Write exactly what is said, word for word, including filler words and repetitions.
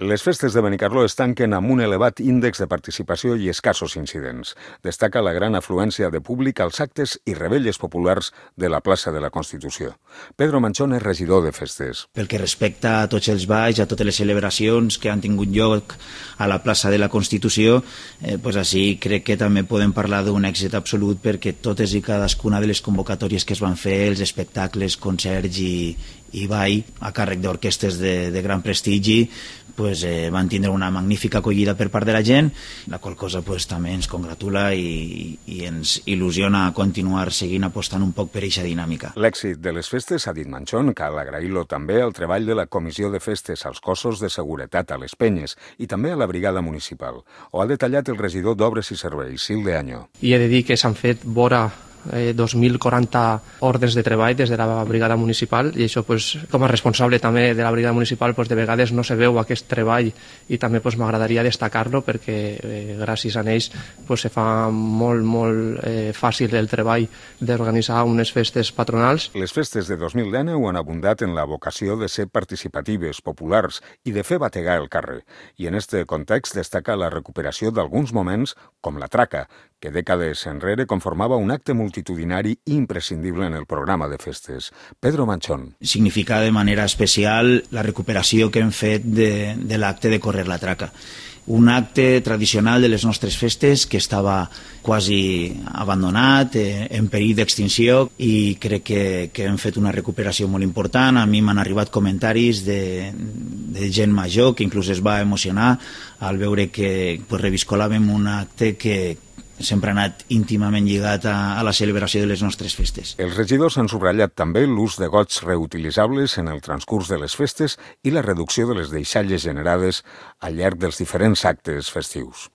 Les festes de Benicarló es tanquen amb un elevat índex de participació i escassos incidents. Destaca la gran afluència de públic als actes i rebelles populars de la plaça de la Constitució. Pedro Manchón és regidor de festes. Pel que respecta a tots els balls, a totes les celebracions que han tingut lloc a la plaça de la Constitució, eh, pues així crec que també podem parlar d'un èxit absolut, perquè totes i cadascuna de les convocatòries que es van fer, els espectacles, concerts i, i ball a càrrec d'orquestes de, de gran prestigi, pues, eh, van tindre una magnífica acollida per part de la gent, la qual cosa pues, també ens congratula i, i ens il·lusiona a continuar seguint apostant un poc per aquesta dinàmica. L'èxit de les festes, ha dit Manchón, cal agrair-lo també al treball de la Comissió de Festes, als cossos de seguretat, a les penyes i també a la brigada municipal. Ho ha detallat el regidor d'Obres i Serveis, Sil de Año. I he de dir que s'han fet vora Eh, dos mil quaranta ordres de treball des de la brigada municipal, i això pues, com a responsable també de la brigada municipal pues, de vegades no se veu aquest treball, i també pues, m'agradaria destacar-lo perquè eh, gràcies a ells pues, se fa molt, molt eh, fàcil el treball d'organitzar unes festes patronals. Les festes de dos mil dinou han abundat en la vocació de ser participatives, populars i de fer bategar el carrer, i en este context destaca la recuperació d'alguns moments com la traca, que dècades enrere conformava un acte multitudinari imprescindible en el programa de festes. Pedro Manchón. Significa de manera especial la recuperació que hem fet de, de l'acte de córrer la traca. Un acte tradicional de les nostres festes que estava quasi abandonat, eh, en perill d'extinció, i crec que, que hem fet una recuperació molt important. A mi m'han arribat comentaris de, de gent major que inclús es va emocionar al veure que pues, reviscolàvem un acte que sempre ha anat íntimament lligat a, a la celebració de les nostres festes. Els regidors han subratllat també l'ús de gots reutilitzables en el transcurs de les festes i la reducció de les deixalles generades al llarg dels diferents actes festius.